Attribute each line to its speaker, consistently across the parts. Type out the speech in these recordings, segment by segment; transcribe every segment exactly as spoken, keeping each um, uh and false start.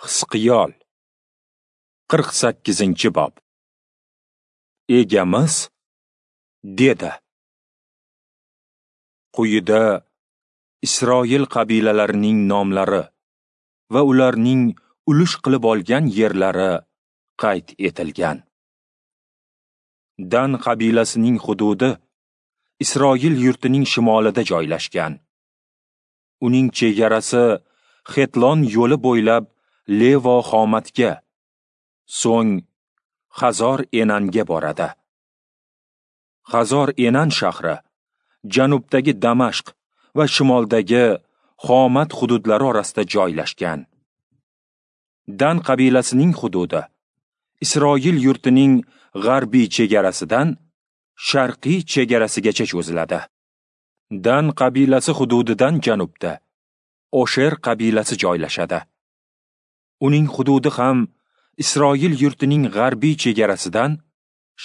Speaker 1: Hizqiyol qirq sakkizinchi bob. Egamiz dedi. Quyida Isroil qabilalarining nomlari va ularning ulush qilib olgan yerlari qayd etilgan. Dan qabilasining hududi Isroil yurtining shimolida joylashgan. Uning chegarasi Xetlon yo'li bo'ylab Levo Xomatga, so'ng Hazor Enanga boradi. Hazor Enan shahri janubdagi Damashq va shimoldagi Xomat hududlari orasida joylashgan. Dan qabilasining hududi Isroil yurtining g'arbiy chegarasidan sharqiy chegarasigacha cho'ziladi. Dan qabilasi hududidan janubda Osher qabilasi joylashadi. Uning hududi ham Isroil yurtining g'arbiy chegarasidan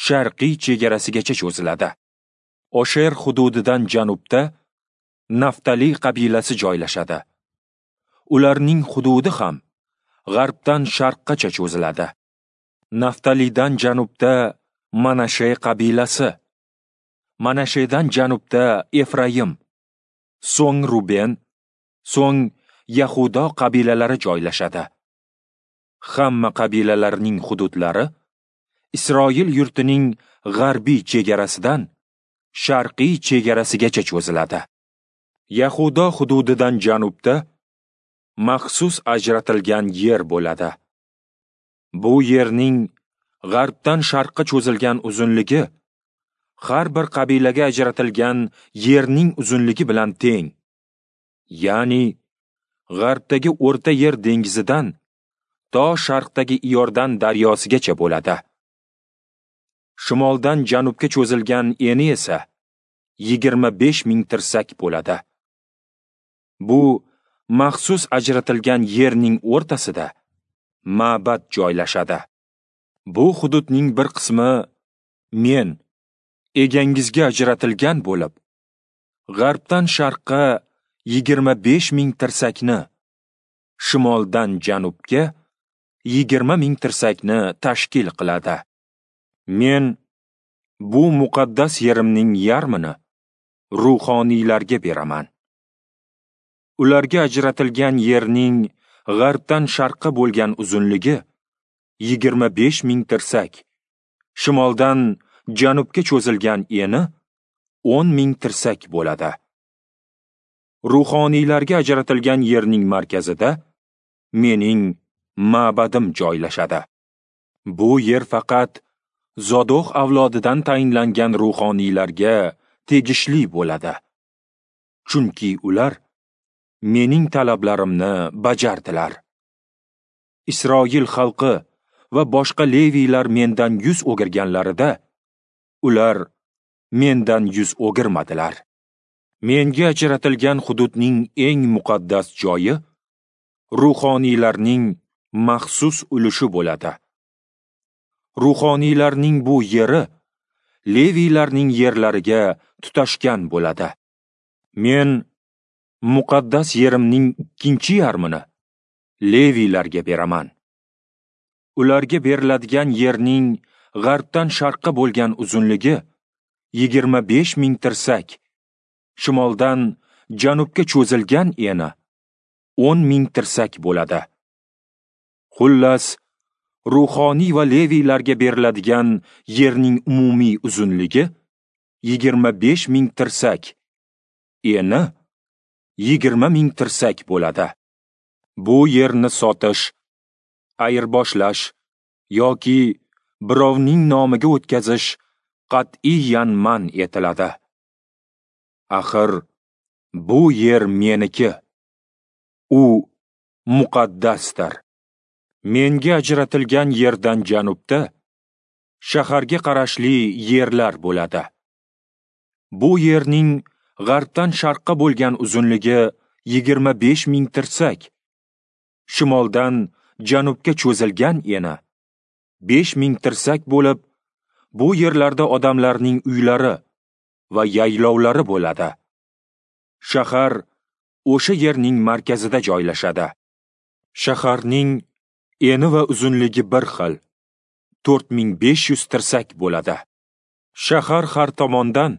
Speaker 1: sharqiy chegarasigacha cho'ziladi. Osher hududidan janubda Naftali qabilasi joylashadi. Ularning hududi ham g'arbdan sharqqacha cho'ziladi. Naftalidan janubda Manashe qabilasi, Manashedan janubda Efraim, so'ng Ruben, so'ng Yahudo qabilalari joylashadi. Hamma qabilalarning hududlari Isroil yurtining g'arbiy chegarasidan sharqiy chegarasigacha cho'ziladi. Yahudo hududidan janubda maxsus ajratilgan yer bo'ladi. Bu yerning g'arbdan sharqqa cho'zilgan uzunligi har bir qabilaga ajratilgan yerning uzunligi bilan teng. Ya'ni g'arbdagi O'rta Yer dengizidan to sharqdagi Iordan daryosigacha bo'ladi. Shimoldan janubga cho'zilgan eni esa yigirma besh ming tirsak bo'ladi. Bu maxsus ajratilgan yerning o'rtasida ma'bad joylashadi. Bu hududning bir qismi men egangizga ajratilgan bo'lib, g'arbdan sharqqa yigirma besh ming tirsakni, shimoldan janubga yigirma ming tirsakni tashkil qiladi. Men bu muqaddas yerimning yarmini ruhoniylarga beraman. Ularga ajratilgan yerning g'arbdan sharqqa bo'lgan uzunligi yigirma besh ming tirsak, shimoldan janubga cho'zilgan eni o'n ming tirsak bo'ladi. Ruhoniylarga ajratilgan yerning markazida mening ma'badim joylashadi. Bu yer faqat Zodoq avlodidan tayinlangan ruhoniylarga tegishli bo'ladi. Chunki ular mening talablarimni bajardilar. Isroil xalqi va boshqa leviylar mendan yuz o'girganlarida, ular mendan yuz o'girmadilar. Menga ajratilgan hududning eng muqaddas joyi ruhoniylarning maxsus ulushi bo'ladi. Ruhoniylarning bu yeri leviylarning yerlariga tutashgan bo'ladi. Men muqaddas yerimning ikkinchi yarmini leviylarga beraman. Ularga beriladigan yerning g'arbdan sharqqa bo'lgan uzunligi yigirma besh ming tirsak, shimoldan janubga cho'zilgan eni o'n ming tirsak bo'ladi. Xullas, ruhoniy va leviylarga beriladigan yerning umumiy uzunligi yigirma besh ming tirsak, eni yigirma ming tirsak bo'ladi. Bu yerni sotish, ayirboshlash yoki birovning nomiga o'tkazish qat'iyan man etiladi. Axir bu yer meniki. U muqaddasdir. Menga ajratilgan yerdan janubda shaharga qarashli yerlar bo'ladi. Bu yerning g'arbdan sharqqa bo'lgan uzunligi yigirma besh ming tirsak, shimoldan janubga cho'zilgan eni besh ming tirsak bo'lib, bu yerlarda odamlarning uylari va yaylovlari bo'ladi. Shahar o'sha yerning markazida joylashadi. Shaharning Eni va uzunligi bir xil, to'rt ming besh yuz tirsak bo'ladi. Shahar har tomondan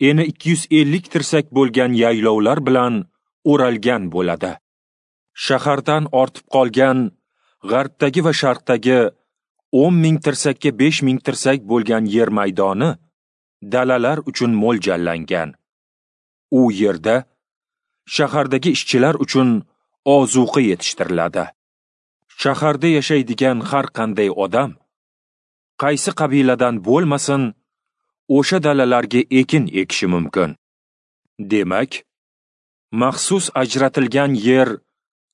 Speaker 1: eni ikki yuz ellik tirsak bo'lgan yaylovlar bilan o'ralgan bo'ladi. Shahardan ortib qolgan g'arbdagi va sharqdagi o'n ming tirsakka besh ming tirsak bo'lgan yer maydoni dalalar uchun mo'ljallangan. U yerda shahardagi ishchilar uchun ozuqa yetishtiriladi. Shaharda yashaydigan har qanday odam, qaysi qabiladan bo'lmasin, o'sha dalalarga ekin ekishi mumkin. Demak, maxsus ajratilgan yer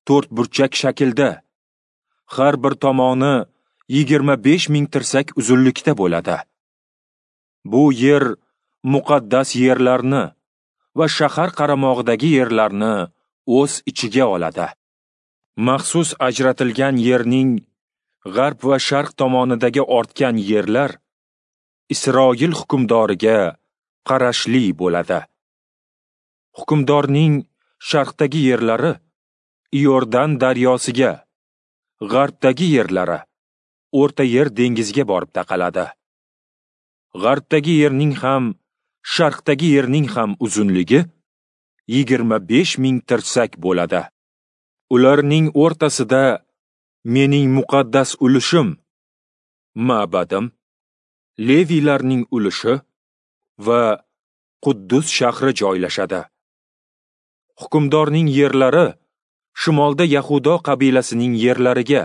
Speaker 1: to'rtburchak shaklda, har bir tomoni yigirma besh ming tirsak uzunlikda bo'ladi. Bu yer muqaddas yerlarni va shahar qaramog'idagi yerlarni o'z ichiga oladi. Maxsus ajratilgan yerning g'arb va sharq tomonidagi ortgan yerlar Isroil hukmdoriga qarashli bo'ladi. Hukmdorning sharqdagi yerlari Iordan daryosiga, g'arbdagi yerlari O'rta Yer dengiziga borib taqaladi. G'arbdagi yerning ham, sharqdagi yerning ham uzunligi yigirma besh ming tirsak bo'ladi. Ularning o'rtasida mening muqaddas ulushim, ma'badim, Leviylarning ulushi va Quddus shahri joylashadi. Hukmdorning yerlari shimolda Yahudo qabilasining yerlariga,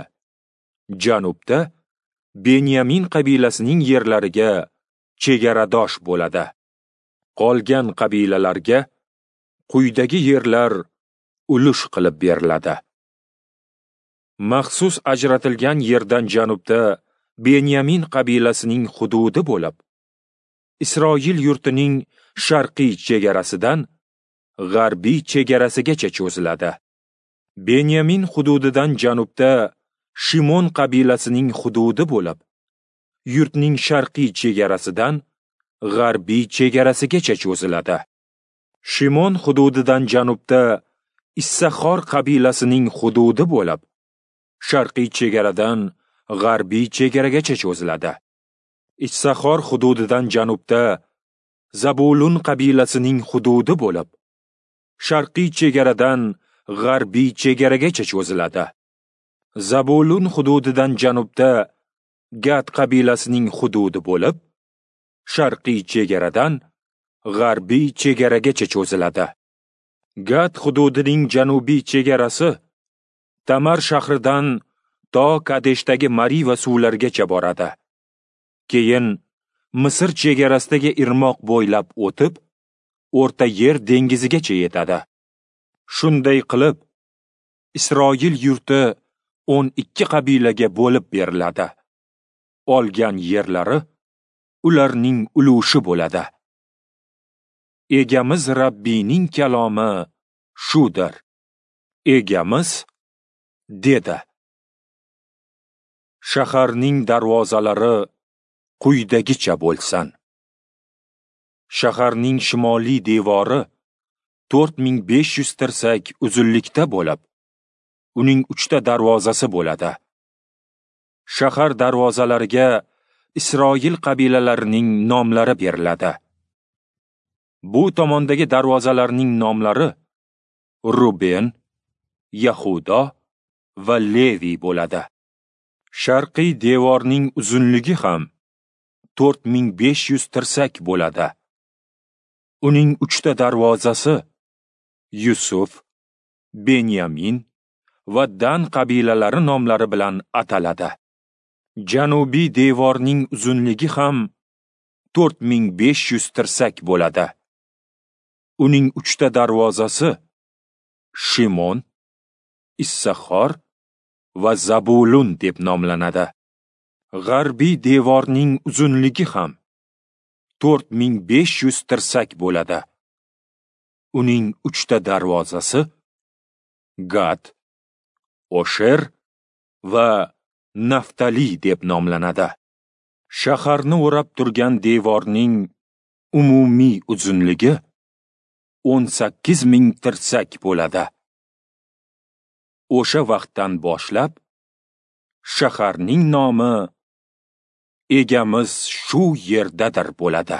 Speaker 1: janubda Benyamin qabilasining yerlariga chegaradosh bo'ladi. Qolgan qabilalarga quyidagi yerlar ulush qilib beriladi. Maxsus ajratilgan yerdan janubda Benyamin qabilasining hududi bo'lib, Isroil yurtining sharqiy chegarasidan g'arbiy chegarasigacha cho'ziladi. Benyamin hududidan janubda Shimon qabilasining hududi bo'lib, yurtning sharqiy chegarasidan g'arbiy chegarasigacha cho'ziladi. Shimon hududidan janubda Issaxor qabilasining hududi bo'lib, sharqiy chegaradan g'arbiy chegaragacha cho'ziladi. Issaxor hududidan janubda Zabulun qabilasining hududi bo'lib, sharqiy chegaradan g'arbiy chegaragacha cho'ziladi. Zabulun hududidan janubda Gad qabilasining hududi bo'lib, sharqiy chegaradan g'arbiy chegaragacha cho'ziladi. Gad hududining janubiy chegarasi Tamar shahridan to Kadeshdagi Mariva suvlarigacha boradi. Keyin Misr chegarasidagi irmoq bo'ylab o'tib, O'rta Yer dengizigacha yetadi. Shunday qilib, Isroil yurti o'n ikki qabilaga bo'lib beriladi. Olgan yerlari ularning ulushi bo'ladi. Egamiz Rabbiyning kalomi shudir. Egamiz dedi: Shaharning darvozalari quyidagicha bo'lsin. Shaharning shimoliy devori to'rt ming besh yuz tirsak uzunlikda bo'lib, uning uchta darvozasi bo'ladi. Shahar darvozalariga Isroil qabilalarining nomlari beriladi. Bu tomondagi darvozalarning nomlari Ruben, Yahudo va Levi bo'ladi. Sharqiy devorning uzunligi ham to'rt ming besh yuz tirsak bo'ladi. Uning uchta darvozasi Yusuf, Benyamin va Dan qabilalari nomlari bilan ataladi. Janubiy devorning uzunligi ham to'rt ming besh yuz tirsak bo'ladi. Uning uchta darvozasi Shimon, Issaxor va Zabulun deb nomlanadi. G'arbiy devorning uzunligi ham to'rt ming besh yuz tirsak bo'ladi. Uning uchta darvozasi Gad, Osher va Naftali deb nomlanadi. Shaharni o'rab turgan devorning umumiy uzunligi o'n sakkiz ming tirsak bo'ladi. O'sha vaqtdan boshlab Shaharning nomi Egamiz shu yerdadir bo'ladi.